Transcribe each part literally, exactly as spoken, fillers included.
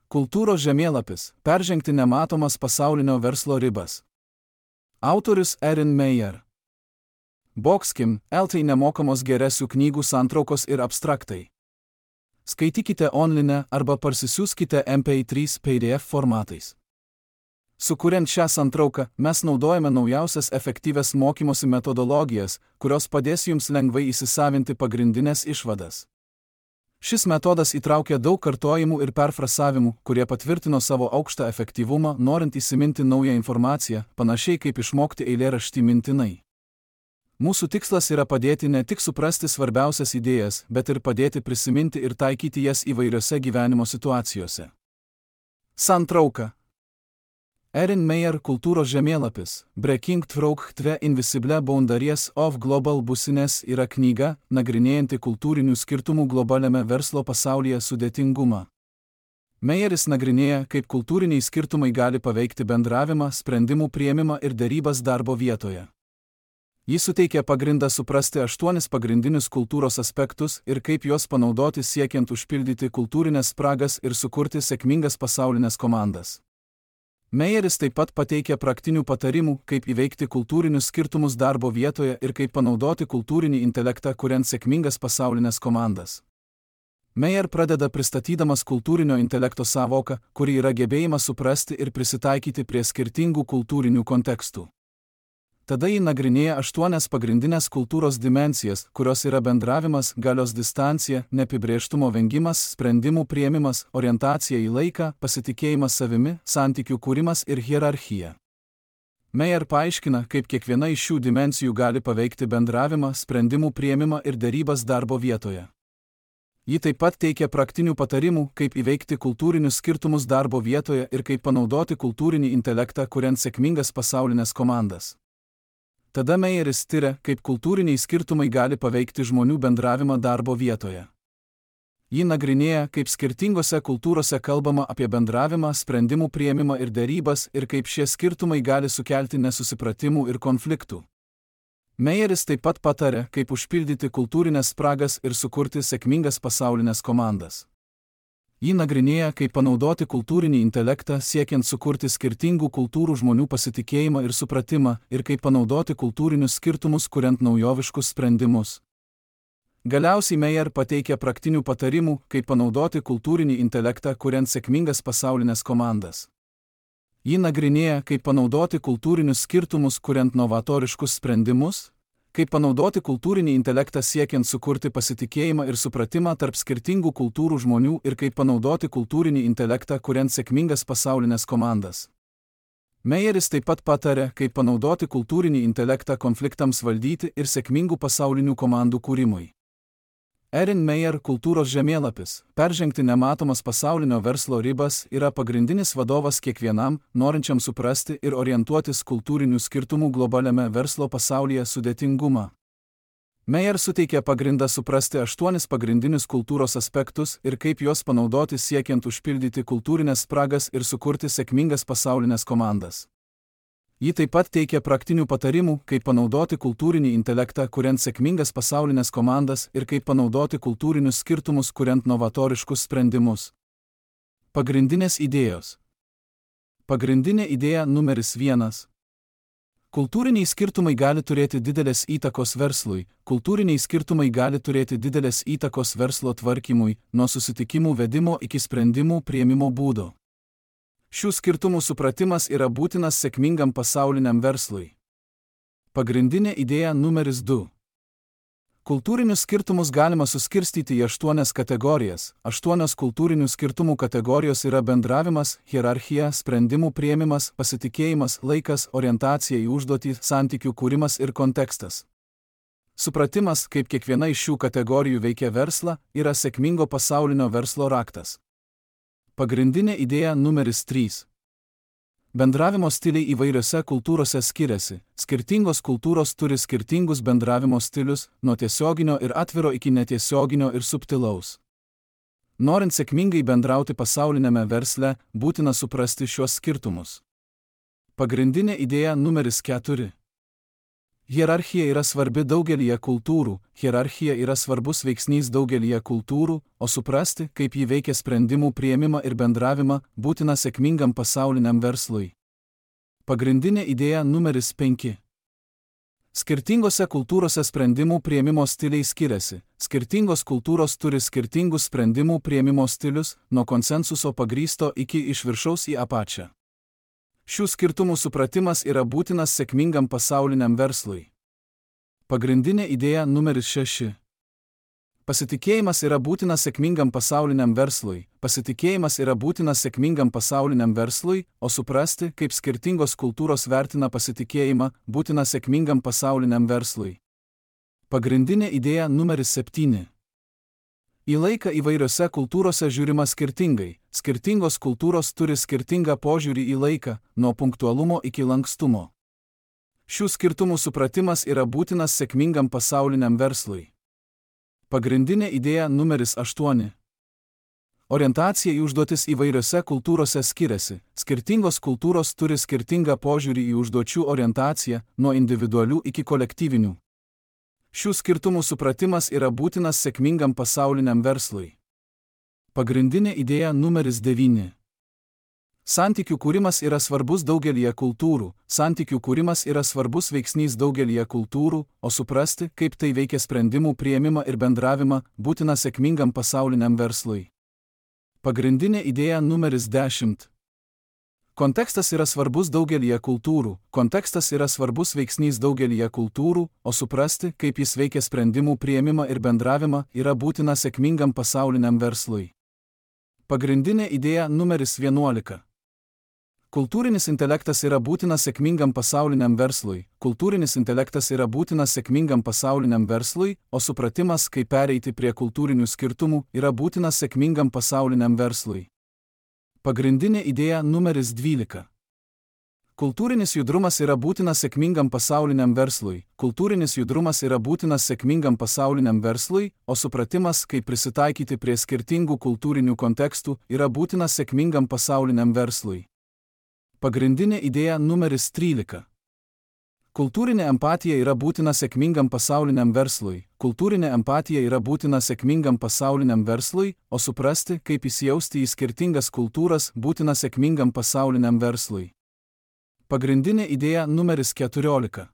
Kultūros žemėlapis – peržengti nematomas pasaulinio verslo ribas. Autorius Erin Meyer. Boxkim, L T nemokamos geresių knygų santraukos ir abstraktai. Skaitykite online arba parsisiųskite M P trys P D F formatais. Sukuriant šią santrauką, mes naudojame naujausias efektyvias mokymosi metodologijas, kurios padės jums lengvai įsisavinti pagrindinės išvadas. Šis metodas įtraukia daug kartojimų ir perfrasavimų, kurie patvirtino savo aukštą efektyvumą, norint įsiminti naują informaciją, panašiai kaip išmokti eilėraštį mintinai. Mūsų tikslas yra padėti ne tik suprasti svarbiausias idėjas, bet ir padėti prisiminti ir taikyti jas įvairiose gyvenimo situacijose. Santrauka. Erin Meyer kultūros žemėlapis Breaking Through the Invisible Boundaries of Global Business yra knyga, nagrinėjanti kultūrinių skirtumų globaliame verslo pasaulyje sudėtingumą. Meyeris nagrinėja, kaip kultūriniai skirtumai gali paveikti bendravimą, sprendimų priėmimą ir derybas darbo vietoje. Jis suteikia pagrindą suprasti aštuonis pagrindinius kultūros aspektus ir kaip juos panaudoti siekiant užpildyti kultūrinės spragas ir sukurti sėkmingas pasaulinės komandas. Meyeris taip pat pateikia praktinių patarimų, kaip įveikti kultūrinius skirtumus darbo vietoje ir kaip panaudoti kultūrinį intelektą, kuriant sėkmingas pasaulinės komandas. Meyer pradeda pristatydamas kultūrinio intelekto sąvoką, kuri yra gebėjimas suprasti ir prisitaikyti prie skirtingų kultūrinių kontekstų. Tada ji nagrinėja aštuonias pagrindinės kultūros dimensijas, kurios yra bendravimas, galios distancija, neapibrėžtumo vengimas, sprendimų priėmimas, orientacija į laiką, pasitikėjimas savimi, santykių kūrimas ir hierarchija. Meyer paaiškina, kaip kiekviena iš šių dimensijų gali paveikti bendravimą, sprendimų priėmimą ir derybas darbo vietoje. Ji taip pat teikia praktinių patarimų, kaip įveikti kultūrinius skirtumus darbo vietoje ir kaip panaudoti kultūrinį intelektą, kuriant sėkmingas pasaulinės komandas. Tada Meyeris tiria, kaip kultūriniai skirtumai gali paveikti žmonių bendravimą darbo vietoje. Ji nagrinėja, kaip skirtingose kultūrose kalbama apie bendravimą, sprendimų priėmimą ir derybas ir kaip šie skirtumai gali sukelti nesusipratimų ir konfliktų. Meyeris taip pat pataria, kaip užpildyti kultūrinės spragas ir sukurti sėkmingas pasaulinės komandas. Ji nagrinėja, kaip panaudoti kultūrinį intelektą siekiant sukurti skirtingų kultūrų žmonių pasitikėjimą ir supratimą ir kaip panaudoti kultūrinius skirtumus, kuriant naujoviškus sprendimus. Galiausiai Meyer pateikia praktinių patarimų, kaip panaudoti kultūrinį intelektą, kuriant sėkmingas pasaulinės komandas. Ji nagrinėja, kaip panaudoti kultūrinius skirtumus, kuriant novatoriškus sprendimus, kaip panaudoti kultūrinį intelektą siekiant sukurti pasitikėjimą ir supratimą tarp skirtingų kultūrų žmonių ir kaip panaudoti kultūrinį intelektą, kuriant sėkmingas pasaulinės komandas. Meyeris taip pat pataria, kaip panaudoti kultūrinį intelektą konfliktams valdyti ir sėkmingų pasaulinių komandų kūrimui. Erin Meyer kultūros žemėlapis peržengti nematomas pasaulinio verslo ribas yra pagrindinis vadovas kiekvienam, norinčiam suprasti ir orientuotis kultūrinių skirtumų globaliame verslo pasaulyje sudėtingumą. Meyer suteikia pagrindą suprasti aštuonis pagrindinius kultūros aspektus ir kaip juos panaudoti siekiant užpildyti kultūrinės spragas ir sukurti sėkmingas pasaulinės komandas. Ji taip pat teikia praktinių patarimų, kaip panaudoti kultūrinį intelektą, kuriant sėkmingas pasaulinės komandas ir kaip panaudoti kultūrinius skirtumus, kuriant novatoriškus sprendimus. Pagrindinės idėjos. Pagrindinė idėja numeris vienas. Kultūriniai skirtumai gali turėti didelės įtakos verslui, kultūriniai skirtumai gali turėti didelės įtakos verslo tvarkymui, nuo susitikimų vedimo iki sprendimų priėmimo būdo. Šių skirtumų supratimas yra būtinas sėkmingam pasauliniam verslui. Pagrindinė idėja numeris du. Kultūrinius skirtumus galima suskirstyti į aštuonias kategorijas. Aštuonios kultūrinių skirtumų kategorijos yra bendravimas, hierarchija, sprendimų priėmimas, pasitikėjimas, laikas, orientacija į užduotį, santykių kūrimas ir kontekstas. Supratimas, kaip kiekviena iš šių kategorijų veikia verslą, yra sėkmingo pasaulinio verslo raktas. Pagrindinė idėja numeris trys. Bendravimo stiliai įvairiose kultūrose skiriasi. Skirtingos kultūros turi skirtingus bendravimo stilius, nuo tiesioginio ir atviro iki netiesioginio ir subtilaus. Norint sėkmingai bendrauti pasaulinėme versle, būtina suprasti šiuos skirtumus. Pagrindinė idėja numeris keturi. Hierarchija yra svarbi daugelyje kultūrų, hierarchija yra svarbus veiksnys daugelyje kultūrų, o suprasti, kaip ji veikia sprendimų priėmimą ir bendravimą, būtina sėkmingam pasauliniam verslui. Pagrindinė idėja numeris penki. Skirtingose kultūrose sprendimų priėmimo stiliai skiriasi. Skirtingos kultūros turi skirtingus sprendimų priėmimo stilius, nuo konsensuso pagrįsto iki iš viršaus į apačią. Šių skirtumų supratimas yra būtinas sėkmingam pasauliniam verslui. Pagrindinė idėja numeris šeši. Pasitikėjimas yra būtinas sėkmingam pasauliniam verslui. Pasitikėjimas yra būtinas sėkmingam pasauliniam verslui, o suprasti, kaip skirtingos kultūros vertina pasitikėjimą, būtina sėkmingam pasauliniam verslui. Pagrindinė idėja numeris septyni. Į laiką įvairiose kultūrose žiūrima skirtingai. Skirtingos kultūros turi skirtingą požiūrį į laiką, nuo punktualumo iki lankstumo. Šių skirtumų supratimas yra būtinas sėkmingam pasauliniam verslui. Pagrindinė idėja numeris aštuoni. Orientacija į užduotis įvairiose kultūrose skiriasi. Skirtingos kultūros turi skirtingą požiūrį į užduočių orientaciją, nuo individualių iki kolektyvinių. Šių skirtumų supratimas yra būtinas sėkmingam pasauliniam verslui. Pagrindinė idėja numeris devyni. Santykių kūrimas yra svarbus daugelyje kultūrų. Santykių kūrimas yra svarbus veiksnys daugelyje kultūrų, o suprasti, kaip tai veikia sprendimų priėmimą ir bendravimą, būtina sėkmingam pasauliniam verslui. Pagrindinė idėja numeris dešimt. Kontekstas yra svarbus daugelyje kultūrų. Kontekstas yra svarbus veiksnys daugelyje kultūrų, o suprasti, kaip jis veikia sprendimų priėmimą ir bendravimą, yra būtina sėkmingam pasauliniam verslui. Pagrindinė idėja numeris vienuolika. Kultūrinis intelektas yra būtinas sėkmingam pasauliniam verslui. Kultūrinis intelektas yra būtinas sėkmingam pasauliniam verslui, o supratimas, kaip pereiti prie kultūrinių skirtumų, yra būtinas sėkmingam pasauliniam verslui. Pagrindinė idėja numeris dvylika. Kultūrinis judrumas yra būtinas sėkmingam pasauliniam verslui. Kultūrinis judrumas yra būtinas sėkmingam pasauliniam verslui, o supratimas, kaip prisitaikyti prie skirtingų kultūrinių kontekstų, yra būtinas sėkmingam pasauliniam verslui. Pagrindinė idėja numeris trylika. Kultūrinė empatija yra būtina sėkmingam pasauliniam verslui. Kultūrinė empatija yra būtina sėkmingam pasauliniam verslui, o suprasti, kaip įsijausti į skirtingas kultūras, būtina sėkmingam pasauliniam verslui. Pagrindinė idėja numeris keturiolika.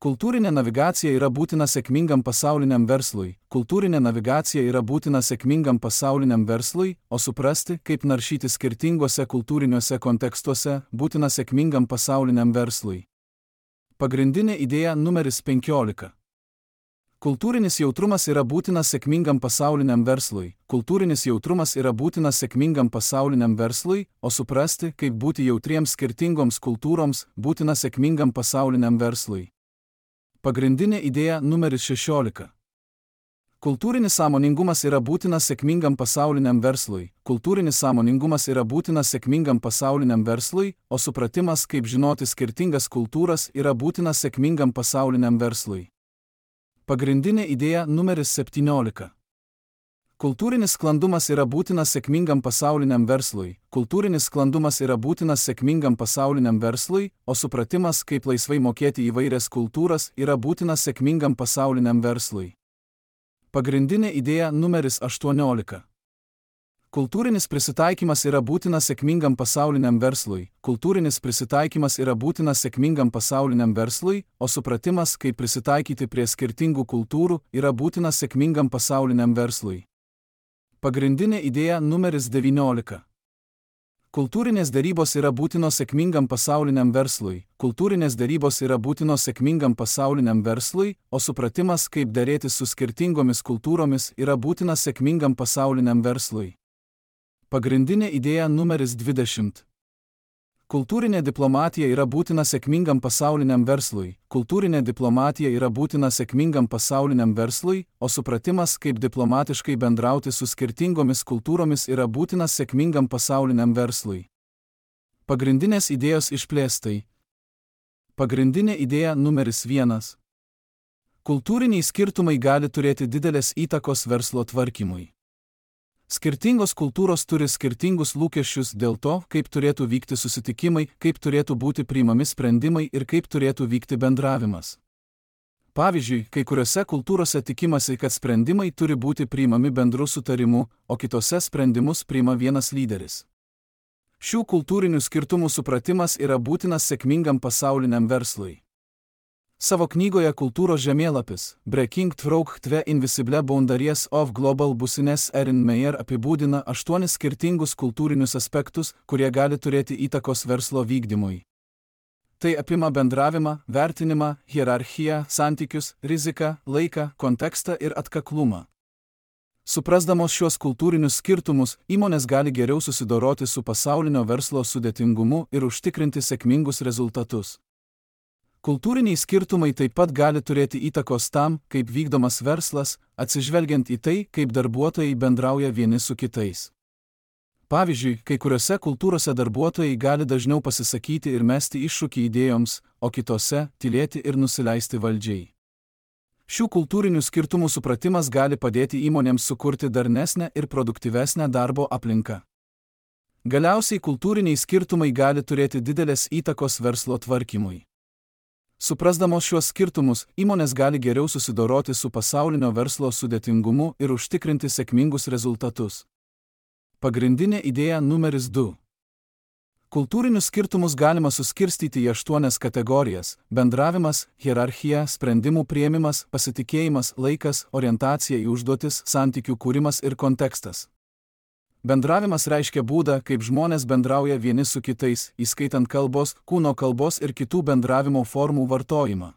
Kultūrinė navigacija yra būtina sėkmingam pasauliniam verslui. Kultūrinė navigacija yra būtina sėkmingam pasauliniam verslui, o suprasti, kaip naršyti skirtinguose kultūriniuose kontekstuose, būtina sėkmingam pasauliniam verslui. Pagrindinė idėja numeris penkiolika. Kultūrinis jautrumas yra būtinas sėkmingam pasauliniam verslui. Kultūrinis jautrumas yra būtinas sėkmingam pasauliniam verslui, o suprasti, kaip būti jautriems skirtingoms kultūroms, būtina sėkmingam pasauliniam verslui. Pagrindinė idėja numeris šešiolika. Kultūrinis sąmoningumas yra būtinas sėkmingam pasauliniam verslui. Kultūrinis sąmoningumas yra būtinas sėkmingam pasauliniam verslui, o supratimas, kaip žinoti skirtingas kultūras, yra būtinas sėkmingam pasauliniam verslui. Pagrindinė idėja numeris septyniolika. Kultūrinis sklandumas yra būtinas sėkmingam pasauliniam verslui. Kultūrinis sklandumas yra būtinas sėkmingam pasauliniam verslui, o supratimas, kaip laisvai mokėti įvairias kultūras, yra būtinas sėkmingam pasauliniam verslui. Pagrindinė idėja numeris aštuoniolika. Kultūrinis prisitaikymas yra būtinas sėkmingam pasauliniam verslui. Kultūrinis prisitaikymas yra būtinas sėkmingam pasauliniam verslui, o supratimas, kaip prisitaikyti prie skirtingų kultūrų, yra būtinas sėkmingam pasauliniam verslui. Pagrindinė idėja numeris devyniolika. Kultūrinės derybos yra būtinos sėkmingam pasauliniam verslui. Kultūrinės derybos yra būtinos sėkmingam pasauliniam verslui, o supratimas, kaip derėtis su skirtingomis kultūromis, yra būtinas sėkmingam pasauliniam verslui. Pagrindinė idėja numeris dvidešimt. Kultūrinė diplomatija yra būtina sėkmingam pasauliniam verslui. Kultūrinė diplomatija yra būtina sėkmingam pasauliniam verslui, o supratimas, kaip diplomatiškai bendrauti su skirtingomis kultūromis, yra būtinas sėkmingam pasauliniam verslui. Pagrindinės idėjos išplėstai. Pagrindinė idėja numeris vienas. Kultūriniai skirtumai gali turėti didelės įtakos verslo tvarkymui. Skirtingos kultūros turi skirtingus lūkesčius dėl to, kaip turėtų vykti susitikimai, kaip turėtų būti priimami sprendimai ir kaip turėtų vykti bendravimas. Pavyzdžiui, kai kuriuose kultūrose tikimasi, kad sprendimai turi būti priimami bendru sutarimu, o kitose sprendimus priima vienas lyderis. Šių kultūrinių skirtumų supratimas yra būtinas sėkmingam pasauliniam verslui. Savo knygoje Kultūros žemėlapis Breaking Through the Invisible Boundaries of Global Business Erin Meyer apibūdina aštuonis skirtingus kultūrinius aspektus, kurie gali turėti įtakos verslo vykdymui. Tai apima bendravimą, vertinimą, hierarchiją, santykius, riziką, laiką, kontekstą ir atkaklumą. Suprasdamos šios kultūrinius skirtumus, įmonės gali geriau susidoroti su pasaulinio verslo sudėtingumu ir užtikrinti sėkmingus rezultatus. Kultūriniai skirtumai taip pat gali turėti įtakos tam, kaip vykdomas verslas, atsižvelgiant į tai, kaip darbuotojai bendrauja vieni su kitais. Pavyzdžiui, kai kuriuose kultūrose darbuotojai gali dažniau pasisakyti ir mesti iššūkį idėjoms, o kitose – tylėti ir nusileisti valdžiai. Šių kultūrinių skirtumų supratimas gali padėti įmonėms sukurti darnesnę ir produktyvesnę darbo aplinką. Galiausiai kultūriniai skirtumai gali turėti didelės įtakos verslo tvarkymui. Suprasdamos šiuos skirtumus, įmonės gali geriau susidoroti su pasaulinio verslo sudėtingumu ir užtikrinti sėkmingus rezultatus. Pagrindinė idėja numeris du. Kultūrinius skirtumus galima suskirstyti į aštuonias kategorijas – bendravimas, hierarchija, sprendimų priėmimas, pasitikėjimas, laikas, orientacija į užduotis, santykių kūrimas ir kontekstas. Bendravimas reiškia būdą, kaip žmonės bendrauja vieni su kitais, įskaitant kalbos, kūno kalbos ir kitų bendravimo formų vartojimą.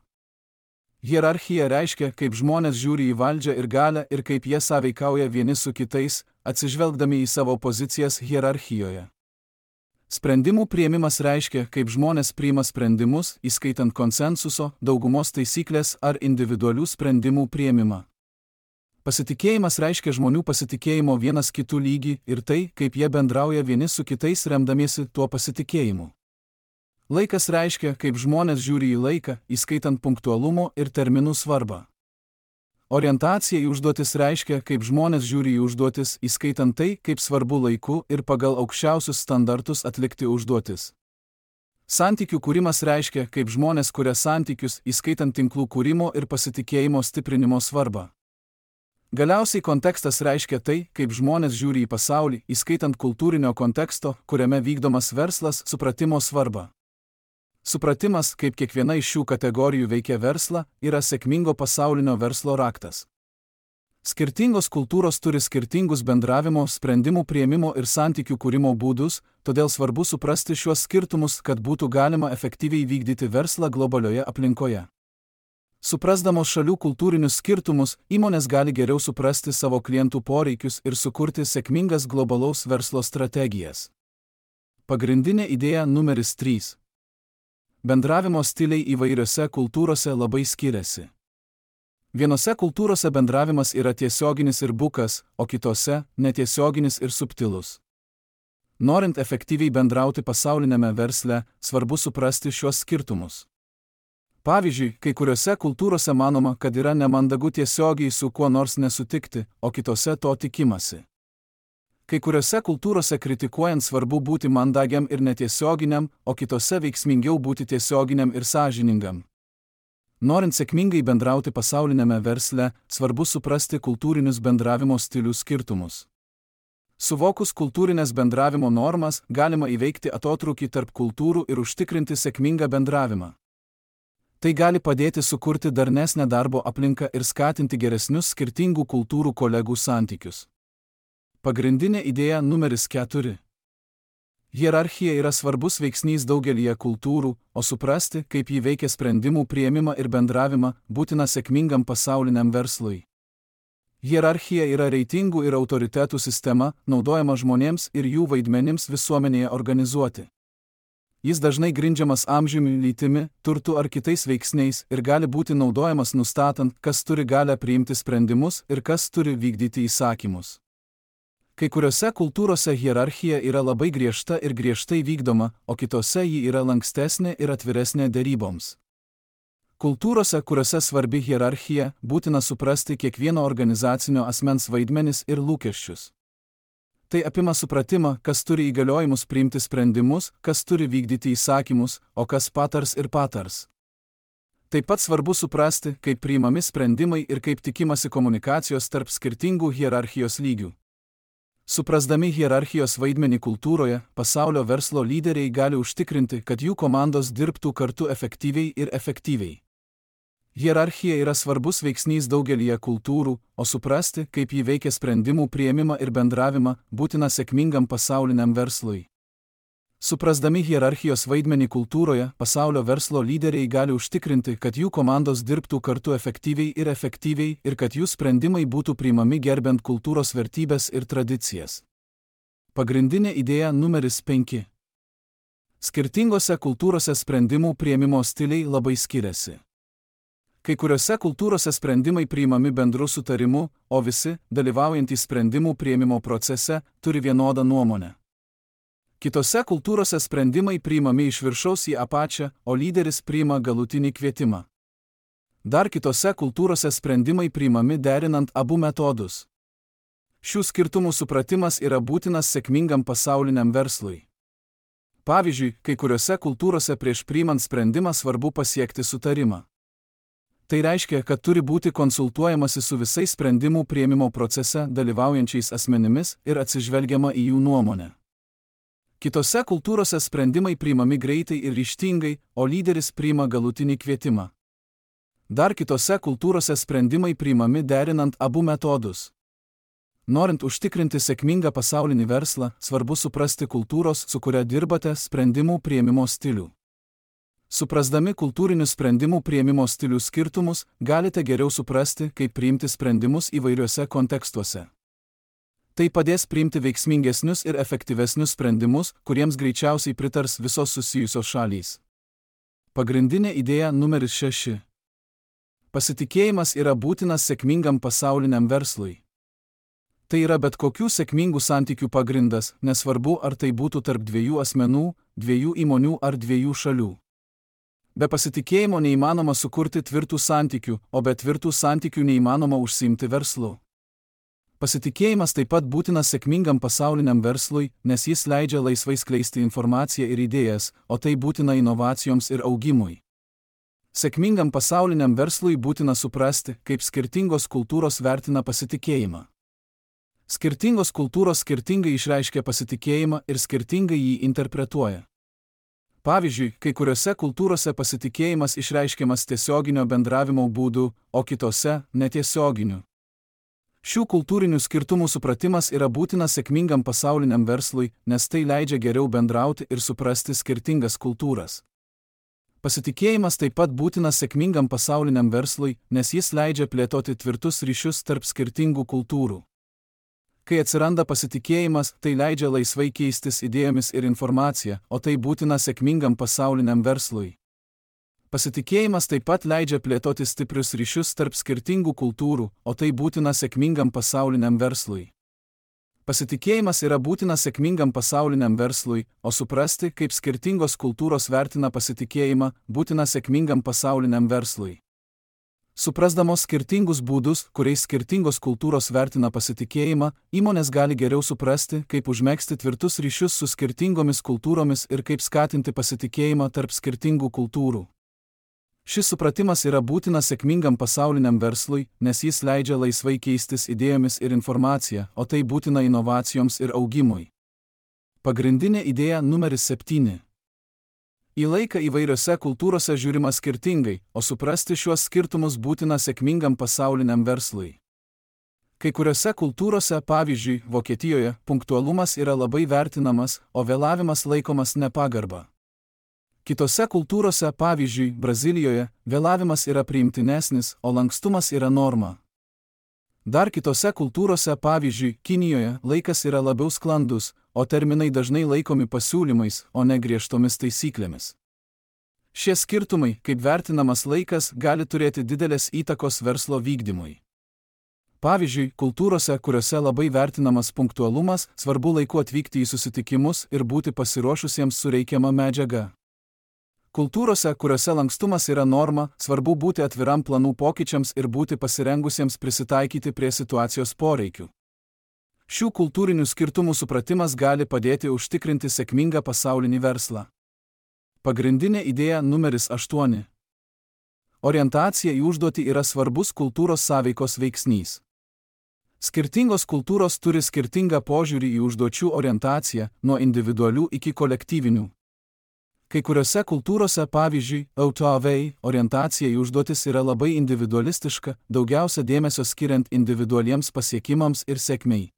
Hierarchija reiškia, kaip žmonės žiūri į valdžią ir galią ir kaip jie sąveikauja vieni su kitais, atsižvelgdami į savo pozicijas hierarchijoje. Sprendimų priėmimas reiškia, kaip žmonės priima sprendimus, įskaitant konsensuso, daugumos taisyklės ar individualių sprendimų priėmimą. Pasitikėjimas reiškia žmonių pasitikėjimo vienas kitų lygį ir tai, kaip jie bendrauja vieni su kitais remdamiesi tuo pasitikėjimu. Laikas reiškia, kaip žmonės žiūri į laiką, įskaitant punktualumo ir terminų svarbą. Orientacija į užduotis reiškia, kaip žmonės žiūri į užduotis, įskaitant tai, kaip svarbu laiku ir pagal aukščiausius standartus atlikti užduotis. Santykių kūrimas reiškia, kaip žmonės kuria santykius, įskaitant tinklų kūrimo ir pasitikėjimo stiprinimo svarbą. Galiausiai kontekstas reiškia tai, kaip žmonės žiūri į pasaulį, įskaitant kultūrinio konteksto, kuriame vykdomas verslas, supratimo svarbą. Supratimas, kaip kiekviena iš šių kategorijų veikia verslą, yra sėkmingo pasaulinio verslo raktas. Skirtingos kultūros turi skirtingus bendravimo, sprendimų priėmimo ir santykių kūrimo būdus, todėl svarbu suprasti šiuos skirtumus, kad būtų galima efektyviai vykdyti verslą globalioje aplinkoje. Suprasdamos šalių kultūrinius skirtumus, įmonės gali geriau suprasti savo klientų poreikius ir sukurti sėkmingas globalaus verslo strategijas. Pagrindinė idėja numeris trys. Bendravimo stiliai įvairiose kultūrose labai skiriasi. Vienose kultūrose bendravimas yra tiesioginis ir bukas, o kitose – netiesioginis ir subtilus. Norint efektyviai bendrauti pasaulinėme versle, svarbu suprasti šiuos skirtumus. Pavyzdžiui, kai kuriuose kultūrose manoma, kad yra nemandagu tiesiogiai su kuo nors nesutikti, o kitose to tikimasi. Kai kuriuose kultūrose kritikuojant svarbu būti mandagiam ir netiesioginiam, o kitose veiksmingiau būti tiesioginiam ir sąžiningam. Norint sėkmingai bendrauti pasaulinėme versle, svarbu suprasti kultūrinius bendravimo stilių skirtumus. Suvokus kultūrinės bendravimo normas, galima įveikti atotrūkį tarp kultūrų ir užtikrinti sėkmingą bendravimą. Tai gali padėti sukurti darnesnę darbo aplinką ir skatinti geresnius skirtingų kultūrų kolegų santykius. Pagrindinė idėja numeris keturi. Hierarchija yra svarbus veiksnys daugelyje kultūrų, o suprasti, kaip ji veikia sprendimų priėmimą ir bendravimą, būtina sėkmingam pasauliniam verslui. Hierarchija yra reitingų ir autoritetų sistema, naudojama žmonėms ir jų vaidmenims visuomenėje organizuoti. Jis dažnai grindžiamas amžiumi, lytimi, turtu ar kitais veiksniais ir gali būti naudojamas nustatant, kas turi galią priimti sprendimus ir kas turi vykdyti įsakymus. Kai kuriuose kultūrose hierarchija yra labai griežta ir griežtai vykdoma, o kitose ji yra lankstesnė ir atviresnė deryboms. Kultūrose, kuriuose svarbi hierarchija, būtina suprasti kiekvieno organizacinio asmens vaidmenis ir lūkesčius. Tai apima supratimą, kas turi įgaliojimus priimti sprendimus, kas turi vykdyti įsakymus, o kas patars ir patars. Taip pat svarbu suprasti, kaip priimami sprendimai ir kaip tikimasi komunikacijos tarp skirtingų hierarchijos lygių. Suprasdami hierarchijos vaidmenį kultūroje, pasaulio verslo lyderiai gali užtikrinti, kad jų komandos dirbtų kartu efektyviai ir efektyviai. Hierarchija yra svarbus veiksnys daugelyje kultūrų, o suprasti, kaip ji veikia sprendimų priėmimą ir bendravimą, būtina sėkmingam pasauliniam verslui. Suprasdami hierarchijos vaidmenį kultūroje, pasaulio verslo lyderiai gali užtikrinti, kad jų komandos dirbtų kartu efektyviai ir efektyviai ir kad jų sprendimai būtų priimami gerbent kultūros vertybes ir tradicijas. Pagrindinė idėja numeris penki. Skirtingose kultūrose sprendimų priėmimo stiliai labai skiriasi. Kai kuriuose kultūrose sprendimai priimami bendru sutarimu, o visi, dalyvaujantys sprendimų priėmimo procese, turi vienodą nuomonę. Kitose kultūrose sprendimai priimami iš viršaus į apačią, o lyderis priima galutinį kvietimą. Dar kitose kultūrose sprendimai priimami derinant abu metodus. Šių skirtumų supratimas yra būtinas sėkmingam pasauliniam verslui. Pavyzdžiui, kai kuriuose kultūrose prieš priimant sprendimą svarbu pasiekti sutarimą. Tai reiškia, kad turi būti konsultuojamasi su visais sprendimų priėmimo procese dalyvaujančiais asmenimis ir atsižvelgiama į jų nuomonę. Kitose kultūrose sprendimai priimami greitai ir ryžtingai, o lyderis priima galutinį kvietimą. Dar kitose kultūrose sprendimai priimami derinant abu metodus. Norint užtikrinti sėkmingą pasaulinį verslą, svarbu suprasti kultūros, su kuria dirbate, sprendimų priėmimo stilių. Suprasdami kultūrinių sprendimų priėmimo stilių skirtumus, galite geriau suprasti, kaip priimti sprendimus įvairiuose kontekstuose. Tai padės priimti veiksmingesnius ir efektyvesnius sprendimus, kuriems greičiausiai pritars visos susijusios šalys. Pagrindinė idėja numeris šeši. Pasitikėjimas yra būtinas sėkmingam pasauliniam verslui. Tai yra bet kokių sėkmingų santykių pagrindas, nesvarbu ar tai būtų tarp dviejų asmenų, dviejų įmonių ar dviejų šalių. Be pasitikėjimo neįmanoma sukurti tvirtų santykių, o be tvirtų santykių neįmanoma užsiimti verslu. Pasitikėjimas taip pat būtinas sėkmingam pasauliniam verslui, nes jis leidžia laisvai skleisti informaciją ir idėjas, o tai būtina inovacijoms ir augimui. Sėkmingam pasauliniam verslui būtina suprasti, kaip skirtingos kultūros vertina pasitikėjimą. Skirtingos kultūros skirtingai išreiškia pasitikėjimą ir skirtingai jį interpretuoja. Pavyzdžiui, kai kuriuose kultūrose pasitikėjimas išreiškiamas tiesioginio bendravimo būdu, o kitose – netiesioginiu. Šių kultūrinių skirtumų supratimas yra būtinas sėkmingam pasauliniam verslui, nes tai leidžia geriau bendrauti ir suprasti skirtingas kultūras. Pasitikėjimas taip pat būtinas sėkmingam pasauliniam verslui, nes jis leidžia plėtoti tvirtus ryšius tarp skirtingų kultūrų. Kai atsiranda pasitikėjimas, tai leidžia laisvai keistis idėjomis ir informacija, o tai būtina sėkmingam pasauliniam verslui. Pasitikėjimas taip pat leidžia plėtoti stiprius ryšius tarp skirtingų kultūrų, o tai būtina sėkmingam pasauliniam verslui. Pasitikėjimas yra būtinas sėkmingam pasauliniam verslui, o suprasti, kaip skirtingos kultūros vertina pasitikėjimą, būtina sėkmingam pasauliniam verslui. Suprasdamos skirtingus būdus, kuriais skirtingos kultūros vertina pasitikėjimą, įmonės gali geriau suprasti, kaip užmegzti tvirtus ryšius su skirtingomis kultūromis ir kaip skatinti pasitikėjimą tarp skirtingų kultūrų. Šis supratimas yra būtinas sėkmingam pasauliniam verslui, nes jis leidžia laisvai keistis idėjomis ir informacija, o tai būtina inovacijoms ir augimui. Pagrindinė idėja numeris septyni. Į laiką įvairiose kultūrose žiūrima skirtingai, o suprasti šiuos skirtumus būtina sėkmingam pasauliniam verslui. Kai kuriuose kultūrose, pavyzdžiui, Vokietijoje, punktualumas yra labai vertinamas, o vėlavimas laikomas nepagarba. Kitose kultūrose, pavyzdžiui, Brazilijoje, vėlavimas yra priimtinesnis, o lankstumas yra norma. Dar kitose kultūrose, pavyzdžiui, Kinijoje, laikas yra labiau sklandus, o terminai dažnai laikomi pasiūlymais, o ne griežtomis taisyklėmis. Šie skirtumai, kaip vertinamas laikas, gali turėti didelės įtakos verslo vykdymui. Pavyzdžiui, kultūrose, kuriuose labai vertinamas punktualumas, svarbu laiku atvykti į susitikimus ir būti pasiruošusiems su reikiama medžiaga. Kultūrose, kuriuose lankstumas yra norma, svarbu būti atviram planų pokyčiams ir būti pasirengusiems prisitaikyti prie situacijos poreikių. Šių kultūrinių skirtumų supratimas gali padėti užtikrinti sėkmingą pasaulinį verslą. Pagrindinė idėja numeris aštuoni. Orientacija į užduotį yra svarbus kultūros sąveikos veiksnys. Skirtingos kultūros turi skirtingą požiūrį į užduočių orientaciją, nuo individualių iki kolektyvinių. Kai kuriuose kultūrose, pavyzdžiui, autovei, orientacija į užduotis yra labai individualistiška, daugiausia dėmesio skiriant individualiems pasiekimams ir sėkmei.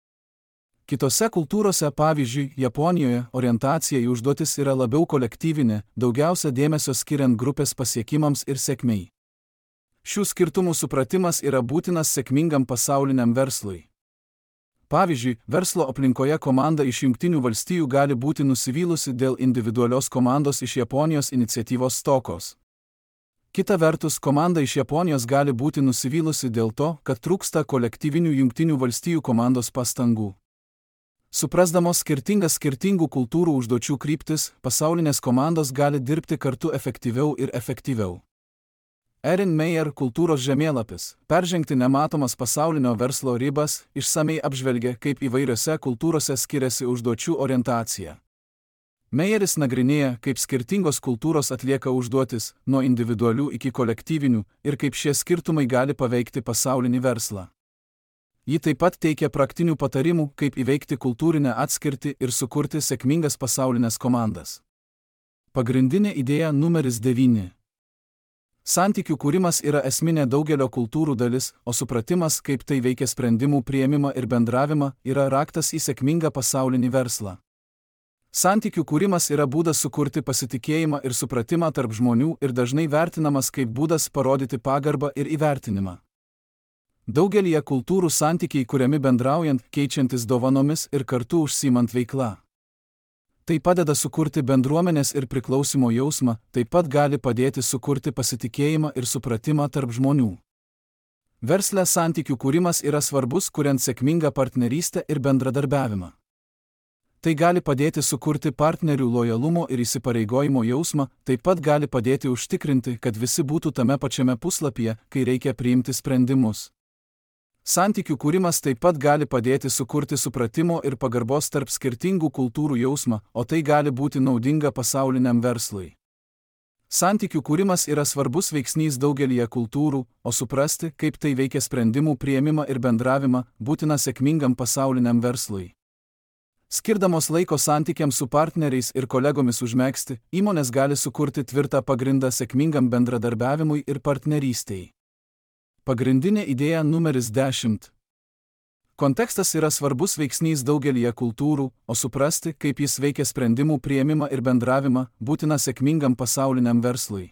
Kitose kultūrose, pavyzdžiui, Japonijoje, orientacija į užduotis yra labiau kolektyvinė, daugiausia dėmesio skiriant grupės pasiekimams ir sėkmei. Šių skirtumų supratimas yra būtinas sėkmingam pasauliniam verslui. Pavyzdžiui, verslo aplinkoje komanda iš Jungtinių valstijų gali būti nusivylusi dėl individualios komandos iš Japonijos iniciatyvos stokos. Kita vertus, komanda iš Japonijos gali būti nusivylusi dėl to, kad trūksta kolektyvinių Jungtinių valstijų komandos pastangų. Suprasdamos skirtingas skirtingų kultūrų užduočių kryptis, pasaulinės komandos gali dirbti kartu efektyviau ir efektyviau. Erin Meyer kultūros žemėlapis, peržengti nematomas pasaulinio verslo ribas, išsamei apžvelgia, kaip įvairiose kultūrose skiriasi užduočių orientacija. Meyeris nagrinėja, kaip skirtingos kultūros atlieka užduotis, nuo individualių iki kolektyvinių, ir kaip šie skirtumai gali paveikti pasaulinį verslą. Ji taip pat teikia praktinių patarimų, kaip įveikti kultūrinę atskirtį ir sukurti sėkmingas pasaulinės komandas. Pagrindinė idėja numeris devyni. Santykių kūrimas yra esminė daugelio kultūrų dalis, o supratimas, kaip tai veikia sprendimų priėmimą ir bendravimą, yra raktas į sėkmingą pasaulinį verslą. Santykių kūrimas yra būdas sukurti pasitikėjimą ir supratimą tarp žmonių ir dažnai vertinamas kaip būdas parodyti pagarbą ir įvertinimą. Daugelyje kultūrų santykiai kuriami bendraujant, keičiantis dovanomis ir kartu užsiimant veiklą. Tai padeda sukurti bendruomenės ir priklausimo jausmą, taip pat gali padėti sukurti pasitikėjimą ir supratimą tarp žmonių. Versle santykių kūrimas yra svarbus, kuriant sėkmingą partnerystę ir bendradarbiavimą. Tai gali padėti sukurti partnerių lojalumo ir įsipareigojimo jausmą, taip pat gali padėti užtikrinti, kad visi būtų tame pačiame puslapyje, kai reikia priimti sprendimus. Santykių kūrimas taip pat gali padėti sukurti supratimo ir pagarbos tarp skirtingų kultūrų jausmą, o tai gali būti naudinga pasauliniam verslui. Santykių kūrimas yra svarbus veiksnys daugelyje kultūrų, o suprasti, kaip tai veikia sprendimų priėmimą ir bendravimą, būtina sėkmingam pasauliniam verslui. Skirdamos laiko santykiams su partneriais ir kolegomis užmegzti, įmonės gali sukurti tvirtą pagrindą sėkmingam bendradarbiavimui ir partnerystei. Pagrindinė idėja numeris dešimt. Kontekstas yra svarbus veiksnys daugelyje kultūrų, o suprasti, kaip jis veikia sprendimų priėmimą ir bendravimą, būtina sėkmingam pasauliniam verslui.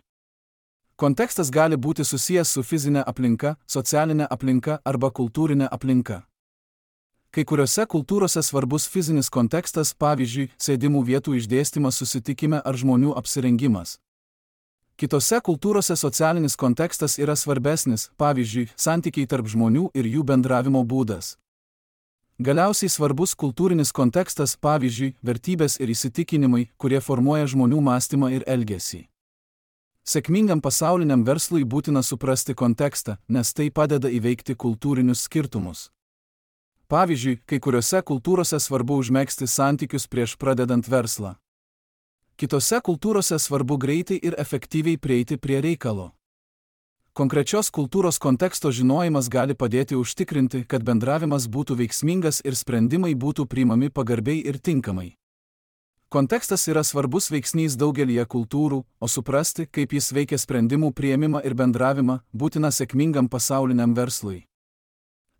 Kontekstas gali būti susijęs su fizinė aplinka, socialinė aplinka arba kultūrinė aplinka. Kai kuriuose kultūrose svarbus fizinis kontekstas, pavyzdžiui, sėdimų vietų išdėstymas susitikime ar žmonių apsirengimas. Kitose kultūrose socialinis kontekstas yra svarbesnis, pavyzdžiui, santykiai tarp žmonių ir jų bendravimo būdas. Galiausiai svarbus kultūrinis kontekstas, pavyzdžiui, vertybės ir įsitikinimai, kurie formuoja žmonių mąstymą ir elgesį. Sėkmingam pasauliniam verslui būtina suprasti kontekstą, nes tai padeda įveikti kultūrinius skirtumus. Pavyzdžiui, kai kuriuose kultūrose svarbu užmegzti santykius prieš pradedant verslą. Kitose kultūrose svarbu greitai ir efektyviai prieiti prie reikalo. Konkrečios kultūros konteksto žinojimas gali padėti užtikrinti, kad bendravimas būtų veiksmingas ir sprendimai būtų priimami pagarbiai ir tinkamai. Kontekstas yra svarbus veiksnys daugelyje kultūrų, o suprasti, kaip jis veikia sprendimų priėmimą ir bendravimą, būtina sėkmingam pasauliniam verslui.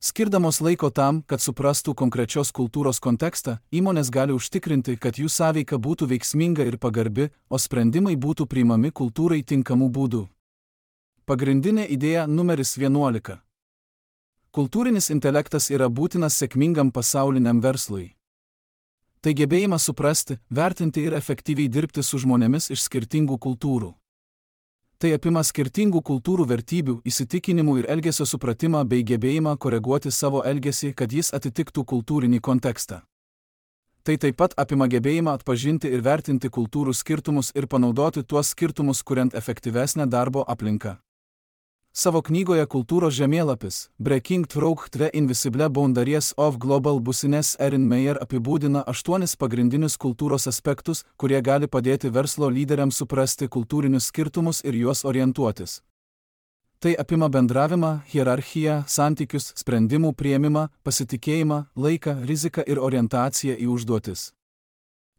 Skirdamos laiko tam, kad suprastų konkrečios kultūros kontekstą, įmonės gali užtikrinti, kad jų sąveika būtų veiksminga ir pagarbi, o sprendimai būtų priimami kultūrai tinkamų būdų. Pagrindinė idėja numeris vienuolika. Kultūrinis intelektas yra būtinas sėkmingam pasauliniam verslui. Tai gebėjimas suprasti, vertinti ir efektyviai dirbti su žmonėmis iš skirtingų kultūrų. Tai apima skirtingų kultūrų vertybių, įsitikinimų ir elgesio supratimą bei gebėjimą koreguoti savo elgesį, kad jis atitiktų kultūrinį kontekstą. Tai taip pat apima gebėjimą atpažinti ir vertinti kultūrų skirtumus ir panaudoti tuos skirtumus, kuriant efektyvesnę darbo aplinką. Savo knygoje Kultūros žemėlapis Breaking Through the Invisible Boundaries of Global Business Erin Meyer apibūdina aštuonis pagrindinius kultūros aspektus, kurie gali padėti verslo lyderiams suprasti kultūrinius skirtumus ir juos orientuotis. Tai apima bendravimą, hierarchiją, santykius, sprendimų priėmimą, pasitikėjimą, laiką, riziką ir orientaciją į užduotis.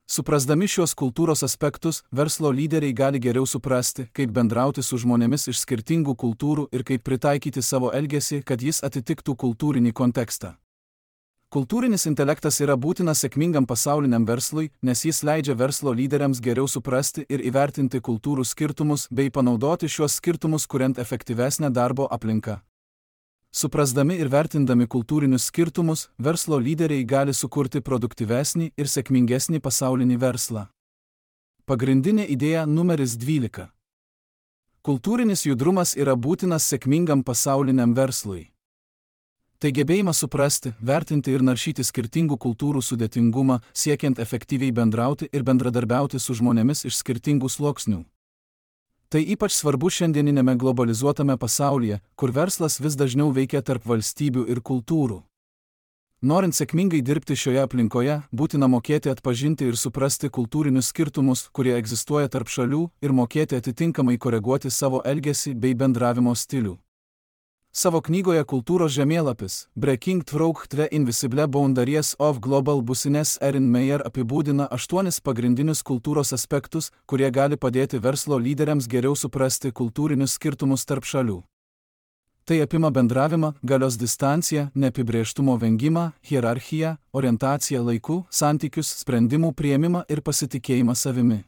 Suprasdami šios kultūros aspektus, verslo lyderiai gali geriau suprasti, kaip bendrauti su žmonėmis iš skirtingų kultūrų ir kaip pritaikyti savo elgesį, kad jis atitiktų kultūrinį kontekstą. Kultūrinis intelektas yra būtinas sėkmingam pasauliniam verslui, nes jis leidžia verslo lyderiams geriau suprasti ir įvertinti kultūrų skirtumus bei panaudoti šios skirtumus kuriant efektyvesnę darbo aplinką. Suprasdami ir vertindami kultūrinius skirtumus, verslo lyderiai gali sukurti produktyvesnį ir sėkmingesnį pasaulinį verslą. Pagrindinė idėja numeris dvylika. Kultūrinis judrumas yra būtinas sėkmingam pasauliniam verslui. Tai gebėjimas suprasti, vertinti ir naršyti skirtingų kultūrų sudėtingumą, siekiant efektyviai bendrauti ir bendradarbiauti su žmonėmis iš skirtingų sluoksnių. Tai ypač svarbu šiandieninėme globalizuotame pasaulyje, kur verslas vis dažniau veikia tarp valstybių ir kultūrų. Norint sėkmingai dirbti šioje aplinkoje, būtina mokėti atpažinti ir suprasti kultūrinius skirtumus, kurie egzistuoja tarp šalių, ir mokėti atitinkamai koreguoti savo elgesį bei bendravimo stilių. Savo knygoje Kultūros žemėlapis Breaking Through the Invisible Boundaries of Global Business Erin Meyer apibūdina aštuonis pagrindinius kultūros aspektus, kurie gali padėti verslo lyderiams geriau suprasti kultūrinius skirtumus tarp šalių. Tai apima bendravimą, galios distanciją, neapibrėžtumo vengimą, hierarchiją, orientaciją laiku, santykius, sprendimų priėmimą ir pasitikėjimą savimi.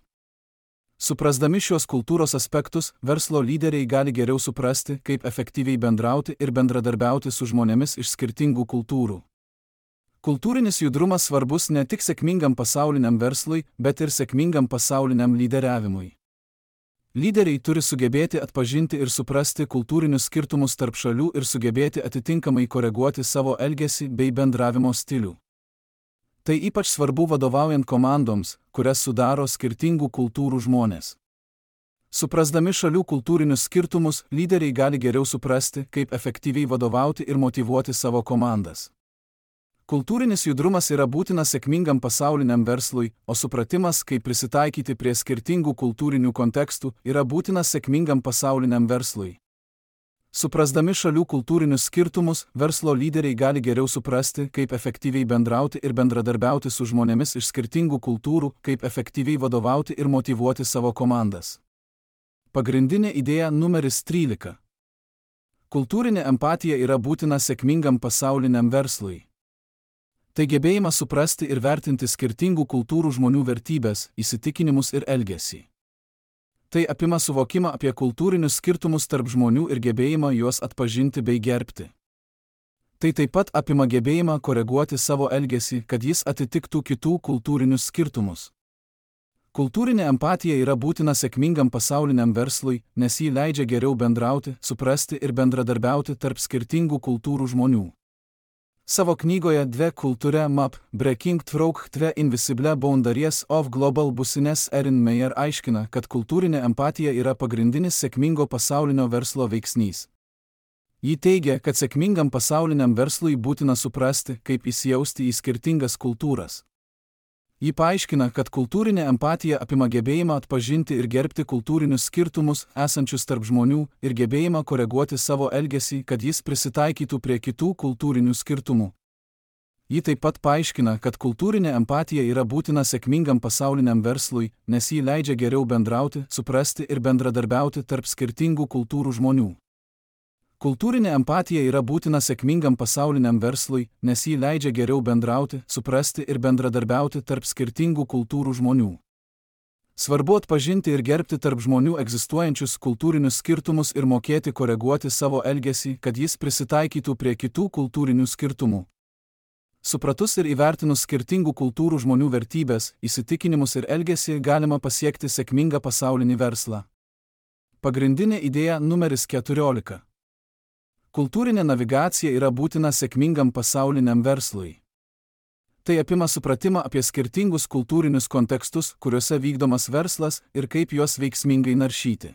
Suprasdami šios kultūros aspektus, verslo lyderiai gali geriau suprasti, kaip efektyviai bendrauti ir bendradarbiauti su žmonėmis iš skirtingų kultūrų. Kultūrinis judrumas svarbus ne tik sėkmingam pasauliniam verslui, bet ir sėkmingam pasauliniam lyderiavimui. Lyderiai turi sugebėti atpažinti ir suprasti kultūrinius skirtumus tarp šalių ir sugebėti atitinkamai koreguoti savo elgesį bei bendravimo stilių. Tai ypač svarbu vadovaujant komandoms, kurias sudaro skirtingų kultūrų žmonės. Suprasdami šalių kultūrinius skirtumus, lyderiai gali geriau suprasti, kaip efektyviai vadovauti ir motyvuoti savo komandas. Kultūrinis judrumas yra būtinas sėkmingam pasauliniam verslui, o supratimas, kaip prisitaikyti prie skirtingų kultūrinių kontekstų, yra būtinas sėkmingam pasauliniam verslui. Suprasdami šalių kultūrinius skirtumus, verslo lyderiai gali geriau suprasti, kaip efektyviai bendrauti ir bendradarbiauti su žmonėmis iš skirtingų kultūrų, kaip efektyviai vadovauti ir motyvuoti savo komandas. Pagrindinė idėja numeris trylika. Kultūrinė empatija yra būtina sėkmingam pasauliniam verslui. Tai gebėjimas suprasti ir vertinti skirtingų kultūrų žmonių vertybės, įsitikinimus ir elgesį. Tai apima suvokimą apie kultūrinius skirtumus tarp žmonių ir gebėjimą juos atpažinti bei gerbti. Tai taip pat apima gebėjimą koreguoti savo elgesį, kad jis atitiktų kitų kultūrinius skirtumus. Kultūrinė empatija yra būtina sėkmingam pasauliniam verslui, nes ji leidžia geriau bendrauti, suprasti ir bendradarbiauti tarp skirtingų kultūrų žmonių. Savo knygoje The Culture Map Breaking Through the Invisible Boundaries of Global Business Erin Meyer aiškina, kad kultūrinė empatija yra pagrindinis sėkmingo pasaulinio verslo veiksnys. Ji teigia, kad sėkmingam pasauliniam verslui būtina suprasti, kaip įsijausti į skirtingas kultūras. Ji paaiškina, kad kultūrinė empatija apima gebėjimą atpažinti ir gerbti kultūrinius skirtumus esančius tarp žmonių ir gebėjimą koreguoti savo elgesį, kad jis prisitaikytų prie kitų kultūrinių skirtumų. Ji taip pat paaiškina, kad kultūrinė empatija yra būtina sėkmingam pasauliniam verslui, nes ji leidžia geriau bendrauti, suprasti ir bendradarbiauti tarp skirtingų kultūrų žmonių. Kultūrinė empatija yra būtina sėkmingam pasauliniam verslui, nes ji leidžia geriau bendrauti, suprasti ir bendradarbiauti tarp skirtingų kultūrų žmonių. Svarbu atpažinti ir gerbti tarp žmonių egzistuojančius kultūrinius skirtumus ir mokėti koreguoti savo elgesį, kad jis prisitaikytų prie kitų kultūrinių skirtumų. Supratus ir įvertinus skirtingų kultūrų žmonių vertybės, įsitikinimus ir elgesį galima pasiekti sėkmingą pasaulinį verslą. Pagrindinė idėja numeris keturiolika. Kultūrinė navigacija yra būtina sėkmingam pasauliniam verslui. Tai apima supratimą apie skirtingus kultūrinius kontekstus, kuriuose vykdomas verslas ir kaip juos veiksmingai naršyti.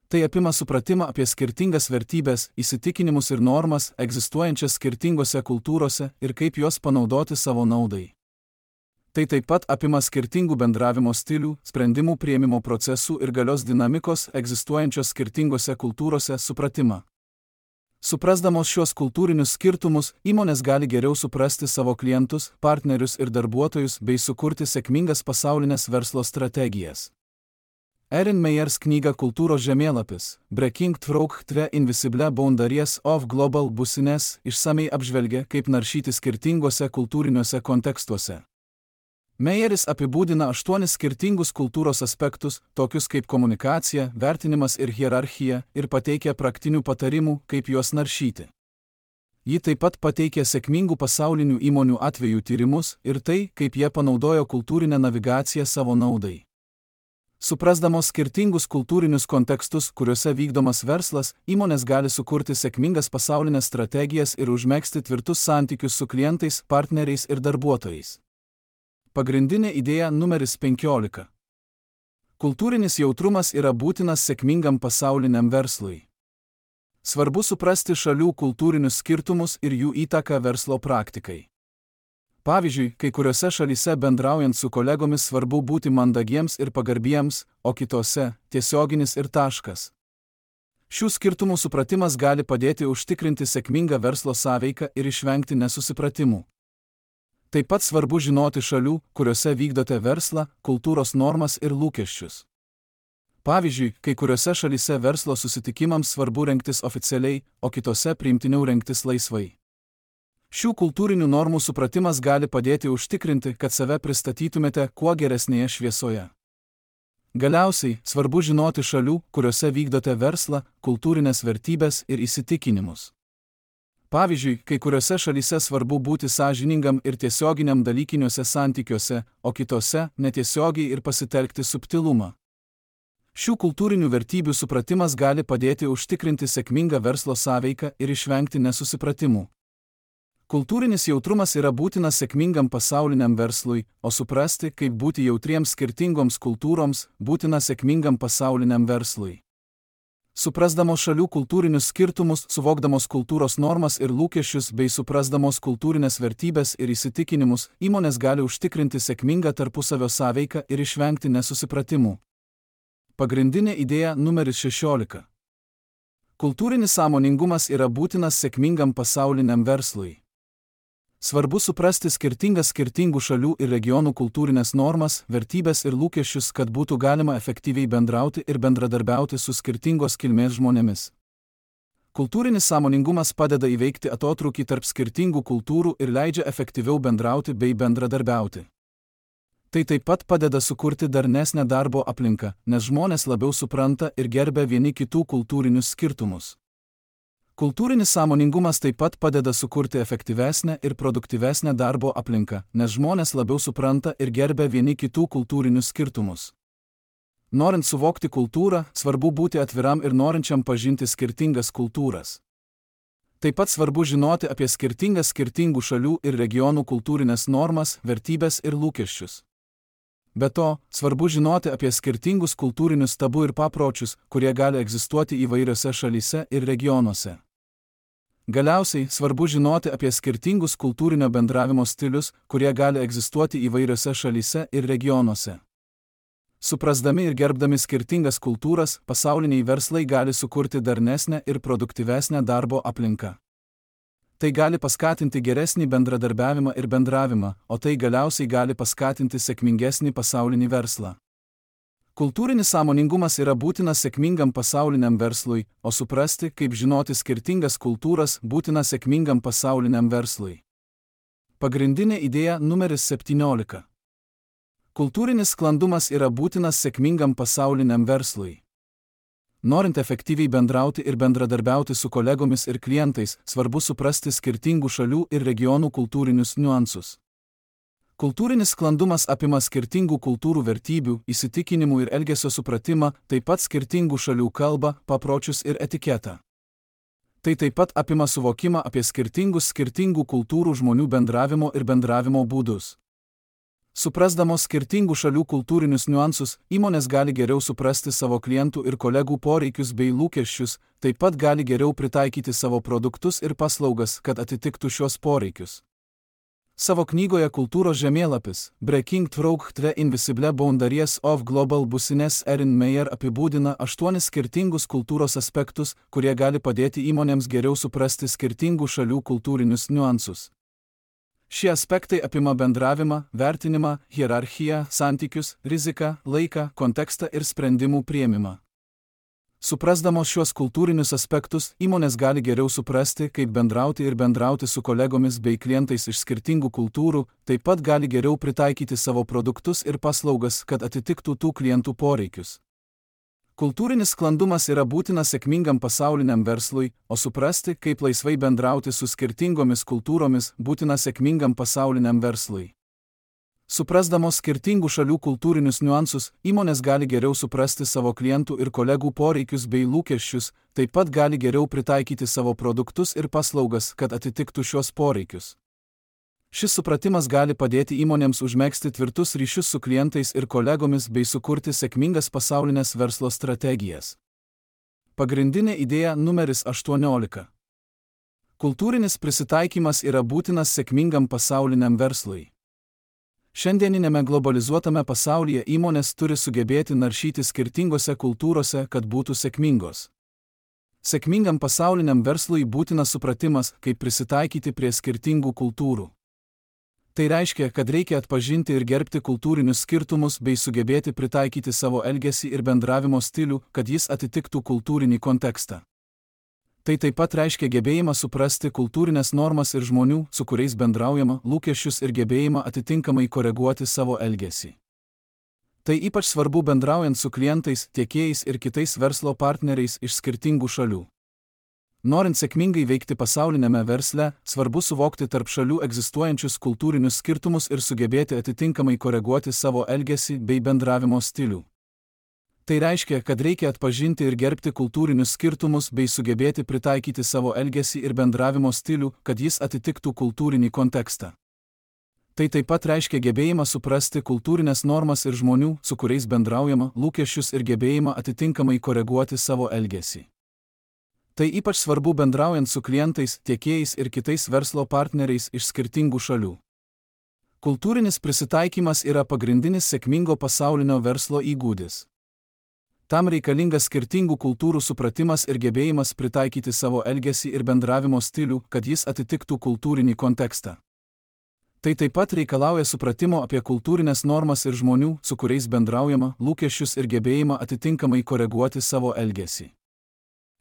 Tai apima supratimą apie skirtingas vertybės, įsitikinimus ir normas, egzistuojančias skirtingose kultūrose ir kaip juos panaudoti savo naudai. Tai taip pat apima skirtingų bendravimo stilių, sprendimų priėmimo procesų ir galios dinamikos egzistuojančios skirtingose kultūrose supratimą. Suprasdamos šios kultūrinius skirtumus, įmonės gali geriau suprasti savo klientus, partnerius ir darbuotojus bei sukurti sėkmingas pasaulinės verslo strategijas. Erin Meyers knyga Kultūros žemėlapis Breaking Through the Invisible Boundaries of Global Business išsamei apžvelgia, kaip naršyti skirtinguose kultūriniuose kontekstuose. Meyeris apibūdina aštuonis skirtingus kultūros aspektus, tokius kaip komunikacija, vertinimas ir hierarchija, ir pateikia praktinių patarimų, kaip juos naršyti. Ji taip pat pateikia sėkmingų pasaulinių įmonių atvejų tyrimus ir tai, kaip jie panaudojo kultūrinę navigaciją savo naudai. Suprasdamos skirtingus kultūrinius kontekstus, kuriuose vykdomas verslas, įmonės gali sukurti sėkmingas pasaulinės strategijas ir užmegzti tvirtus santykius su klientais, partneriais ir darbuotojais. Pagrindinė idėja numeris penkiolika. Kultūrinis jautrumas yra būtinas sėkmingam pasauliniam verslui. Svarbu suprasti šalių kultūrinius skirtumus ir jų įtaką verslo praktikai. Pavyzdžiui, kai kuriuose šalyse bendraujant su kolegomis svarbu būti mandagiems ir pagarbiems, o kitose – tiesioginis ir taškas. Šių skirtumų supratimas gali padėti užtikrinti sėkmingą verslo sąveiką ir išvengti nesusipratimų. Taip pat svarbu žinoti šalių, kuriuose vykdote verslą, kultūros normas ir lūkesčius. Pavyzdžiui, kai kuriuose šalyse verslo susitikimams svarbu rengtis oficialiai, o kitose priimtiniau rengtis laisvai. Šių kultūrinių normų supratimas gali padėti užtikrinti, kad save pristatytumėte kuo geresnėje šviesoje. Galiausiai, svarbu žinoti šalių, kuriuose vykdote verslą, kultūrinės vertybės ir įsitikinimus. Pavyzdžiui, kai kuriuose šalyse svarbu būti sąžiningam ir tiesioginiam dalykiniuose santykiuose, o kitose – netiesiogiai ir pasitelkti subtilumą. Šių kultūrinių vertybių supratimas gali padėti užtikrinti sėkmingą verslo sąveiką ir išvengti nesusipratimų. Kultūrinis jautrumas yra būtinas sėkmingam pasauliniam verslui, o suprasti, kaip būti jautriems skirtingoms kultūroms, būtina sėkmingam pasauliniam verslui. Suprasdamos šalių kultūrinius skirtumus, suvokdamos kultūros normas ir lūkesčius bei suprasdamos kultūrinės vertybės ir įsitikinimus, įmonės gali užtikrinti sėkmingą tarpusavio sąveiką ir išvengti nesusipratimų. Pagrindinė idėja numeris šešiolika. Kultūrinis sąmoningumas yra būtinas sėkmingam pasauliniam verslui. Svarbu suprasti skirtingas skirtingų šalių ir regionų kultūrinės normas, vertybės ir lūkesčius, kad būtų galima efektyviai bendrauti ir bendradarbiauti su skirtingos kilmės žmonėmis. Kultūrinis sąmoningumas padeda įveikti atotrūkį tarp skirtingų kultūrų ir leidžia efektyviau bendrauti bei bendradarbiauti. Tai taip pat padeda sukurti darnesnę darbo aplinką, nes žmonės labiau supranta ir gerbia vieni kitų kultūrinius skirtumus. Kultūrinis sąmoningumas taip pat padeda sukurti efektyvesnę ir produktyvesnę darbo aplinką, nes žmonės labiau supranta ir gerbia vieni kitų kultūrinius skirtumus. Norint suvokti kultūrą, svarbu būti atviram ir norinčiam pažinti skirtingas kultūras. Taip pat svarbu žinoti apie skirtingas skirtingų šalių ir regionų kultūrinės normas, vertybės ir lūkesčius. Be to, svarbu žinoti apie skirtingus kultūrinius tabu ir papročius, kurie gali egzistuoti įvairiose šalyse ir regionuose. Galiausiai, svarbu žinoti apie skirtingus kultūrinio bendravimo stilius, kurie gali egzistuoti įvairiose šalyse ir regionuose. Suprasdami ir gerbdami skirtingas kultūras, pasauliniai verslai gali sukurti darnesnę ir produktyvesnę darbo aplinką. Tai gali paskatinti geresnį bendradarbiavimą ir bendravimą, o tai galiausiai gali paskatinti sėkmingesnį pasaulinį verslą. Kultūrinis sąmoningumas yra būtinas sėkmingam pasauliniam verslui, o suprasti, kaip žinoti skirtingas kultūras, būtina sėkmingam pasauliniam verslui. Pagrindinė idėja numeris septyniolika. Kultūrinis sklandumas yra būtinas sėkmingam pasauliniam verslui. Norint efektyviai bendrauti ir bendradarbiauti su kolegomis ir klientais, svarbu suprasti skirtingų šalių ir regionų kultūrinius niuansus. Kultūrinis sklandumas apima skirtingų kultūrų vertybių, įsitikinimų ir elgesio supratimą, taip pat skirtingų šalių kalbą, papročius ir etiketą. Tai taip pat apima suvokimą apie skirtingus skirtingų kultūrų žmonių bendravimo ir bendravimo būdus. Suprasdamos skirtingų šalių kultūrinius niuansus, įmonės gali geriau suprasti savo klientų ir kolegų poreikius bei lūkesčius, taip pat gali geriau pritaikyti savo produktus ir paslaugas, kad atitiktų šios poreikius. Savo knygoje Kultūros žemėlapis Breaking Through the Invisible Boundaries of Global Business Erin Meyer apibūdina aštuonis skirtingus kultūros aspektus, kurie gali padėti įmonėms geriau suprasti skirtingų šalių kultūrinius niuansus. Šie aspektai apima bendravimą, vertinimą, hierarchiją, santykius, riziką, laiką, kontekstą ir sprendimų priėmimą. Suprasdamos šios kultūrinius aspektus, įmonės gali geriau suprasti, kaip bendrauti ir bendrauti su kolegomis bei klientais iš skirtingų kultūrų, taip pat gali geriau pritaikyti savo produktus ir paslaugas, kad atitiktų tų klientų poreikius. Kultūrinis sklandumas yra būtinas sėkmingam pasauliniam verslui, o suprasti, kaip laisvai bendrauti su skirtingomis kultūromis, būtina sėkmingam pasauliniam verslui. Suprasdamos skirtingų šalių kultūrinius niuansus, įmonės gali geriau suprasti savo klientų ir kolegų poreikius bei lūkesčius, taip pat gali geriau pritaikyti savo produktus ir paslaugas, kad atitiktų šios poreikius. Šis supratimas gali padėti įmonėms užmegzti tvirtus ryšius su klientais ir kolegomis bei sukurti sėkmingas pasaulinės verslo strategijas. Pagrindinė idėja numeris aštuoniolika. Kultūrinis prisitaikymas yra būtinas sėkmingam pasauliniam verslui. Šiandieninėme globalizuotame pasaulyje įmonės turi sugebėti naršyti skirtingose kultūrose, kad būtų sėkmingos. Sėkmingam pasauliniam verslui būtinas supratimas, kaip prisitaikyti prie skirtingų kultūrų. Tai reiškia, kad reikia atpažinti ir gerbti kultūrinius skirtumus bei sugebėti pritaikyti savo elgesį ir bendravimo stilių, kad jis atitiktų kultūrinį kontekstą. Tai taip pat reiškia gebėjimą suprasti kultūrinės normas ir žmonių, su kuriais bendraujama, lūkesčius ir gebėjimą atitinkamai koreguoti savo elgesį. Tai ypač svarbu bendraujant su klientais, tiekėjais ir kitais verslo partneriais iš skirtingų šalių. Norint sėkmingai veikti pasaulinėme versle, svarbu suvokti tarp šalių egzistuojančius kultūrinius skirtumus ir sugebėti atitinkamai koreguoti savo elgesį bei bendravimo stilių. Tai reiškia, kad reikia atpažinti ir gerbti kultūrinius skirtumus bei sugebėti pritaikyti savo elgesį ir bendravimo stilių, kad jis atitiktų kultūrinį kontekstą. Tai taip pat reiškia gebėjimą suprasti kultūrinės normas ir žmonių, su kuriais bendraujama, lūkesčius ir gebėjimą atitinkamai koreguoti savo elgesį. Tai ypač svarbu bendraujant su klientais, tiekėjais ir kitais verslo partneriais iš skirtingų šalių. Kultūrinis prisitaikymas yra pagrindinis sėkmingo pasaulinio verslo įgūdis. Tam reikalingas skirtingų kultūrų supratimas ir gebėjimas pritaikyti savo elgesį ir bendravimo stilių, kad jis atitiktų kultūrinį kontekstą. Tai taip pat reikalauja supratimo apie kultūrinės normas ir žmonių, su kuriais bendraujama, lūkesčius ir gebėjimą atitinkamai koreguoti savo elgesį.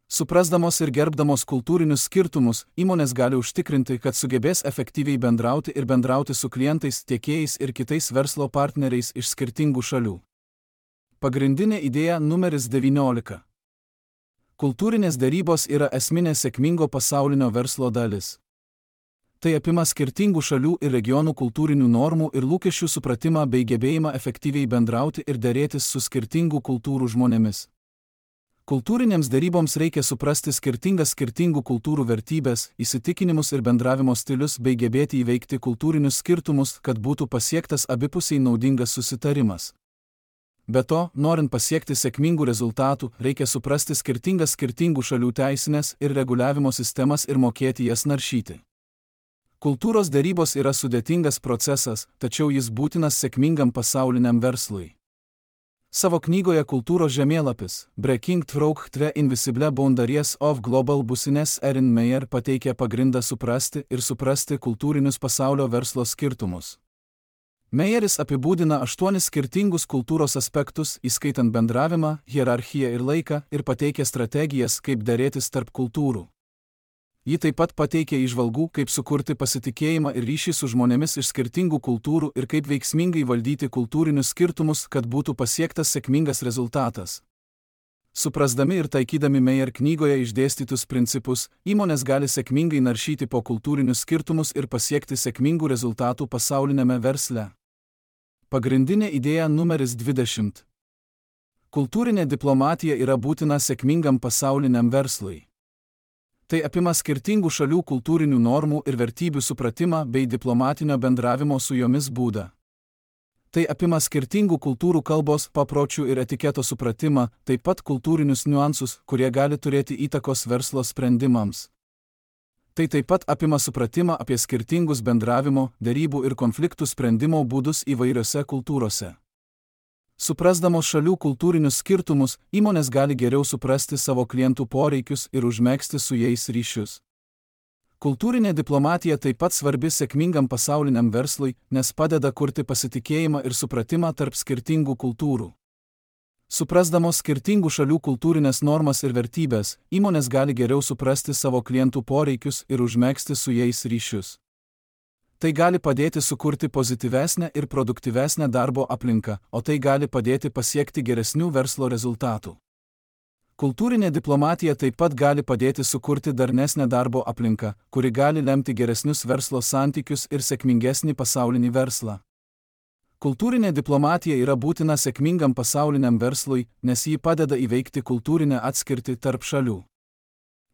Suprasdamos ir gerbdamos kultūrinius skirtumus, įmonės gali užtikrinti, kad sugebės efektyviai bendrauti ir bendrauti su klientais, tiekėjais ir kitais verslo partneriais iš skirtingų šalių. Pagrindinė idėja numeris devyniolika. Kultūrinės derybos yra esminė sėkmingo pasaulinio verslo dalis. Tai apima skirtingų šalių ir regionų kultūrinių normų ir lūkesčių supratimą bei gebėjimą efektyviai bendrauti ir derėtis su skirtingų kultūrų žmonėmis. Kultūrinėms deryboms reikia suprasti skirtingas skirtingų kultūrų vertybės, įsitikinimus ir bendravimo stilius bei gebėti įveikti kultūrinius skirtumus, kad būtų pasiektas abipusiai naudingas susitarimas. Be to, norint pasiekti sėkmingų rezultatų, reikia suprasti skirtingas skirtingų šalių teisinės ir reguliavimo sistemas ir mokėti jas naršyti. Kultūros derybos yra sudėtingas procesas, tačiau jis būtinas sėkmingam pasauliniam verslui. Savo knygoje Kultūros žemėlapis Breaking Through the Invisible Boundaries of Global Business Erin Meyer pateikia pagrindą suprasti ir suprasti kultūrinius pasaulio verslo skirtumus. Meyeris apibūdina aštuonis skirtingus kultūros aspektus, įskaitant bendravimą, hierarchiją ir laiką, ir pateikia strategijas, kaip derėtis tarp kultūrų. Ji taip pat pateikia įžvalgų, kaip sukurti pasitikėjimą ir ryšį su žmonėmis iš skirtingų kultūrų ir kaip veiksmingai valdyti kultūrinius skirtumus, kad būtų pasiektas sėkmingas rezultatas. Suprasdami ir taikydami Meyer knygoje išdėstytus principus, įmonės gali sėkmingai naršyti po kultūrinius skirtumus ir pasiekti sėkmingų rezultatų pasaulinėme versle. Pagrindinė idėja numeris dvidešimt. Kultūrinė diplomatija yra būtina sėkmingam pasauliniam verslui. Tai apima skirtingų šalių kultūrinių normų ir vertybių supratimą bei diplomatinio bendravimo su jomis būdą. Tai apima skirtingų kultūrų kalbos, papročių ir etiketo supratimą, taip pat kultūrinius niuansus, kurie gali turėti įtakos verslo sprendimams. Tai taip pat apima supratimą apie skirtingus bendravimo, derybų ir konfliktų sprendimo būdus įvairiose kultūrose. Suprasdamos šalių kultūrinius skirtumus, įmonės gali geriau suprasti savo klientų poreikius ir užmegzti su jais ryšius. Kultūrinė diplomatija taip pat svarbi sėkmingam pasauliniam verslui, nes padeda kurti pasitikėjimą ir supratimą tarp skirtingų kultūrų. Suprasdamos skirtingų šalių kultūrinės normas ir vertybės, įmonės gali geriau suprasti savo klientų poreikius ir užmegzti su jais ryšius. Tai gali padėti sukurti pozityvesnę ir produktyvesnę darbo aplinką, o tai gali padėti pasiekti geresnių verslo rezultatų. Kultūrinė diplomatija taip pat gali padėti sukurti darnesnę darbo aplinką, kuri gali lemti geresnius verslo santykius ir sėkmingesnį pasaulinį verslą. Kultūrinė diplomatija yra būtina sėkmingam pasauliniam verslui, nes ji padeda įveikti kultūrinę atskirtį tarp šalių.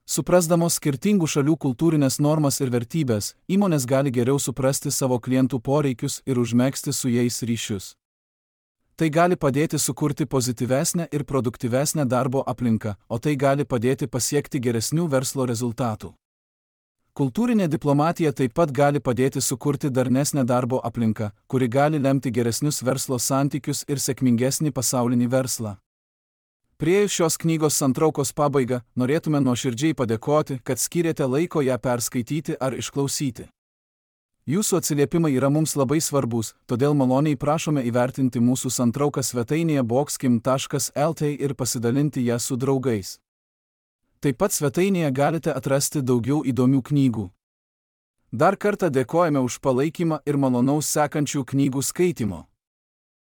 Suprasdamos skirtingų šalių kultūrinės normas ir vertybės, įmonės gali geriau suprasti savo klientų poreikius ir užmegzti su jais ryšius. Tai gali padėti sukurti pozityvesnę ir produktyvesnę darbo aplinką, o tai gali padėti pasiekti geresnių verslo rezultatų. Kultūrinė diplomatija taip pat gali padėti sukurti darnesnę darbo aplinką, kuri gali lemti geresnius verslo santykius ir sėkmingesnį pasaulinį verslą. Priėjus šios knygos santraukos pabaigą, norėtume nuoširdžiai padėkoti, kad skyrėte laiko ją perskaityti ar išklausyti. Jūsų atsiliepimai yra mums labai svarbus, todėl maloniai prašome įvertinti mūsų santrauką svetainėje boxkim taškas el t ir pasidalinti ją su draugais. Taip pat svetainėje galite atrasti daugiau įdomių knygų. Dar kartą dėkojame už palaikymą ir malonaus sekančių knygų skaitimo.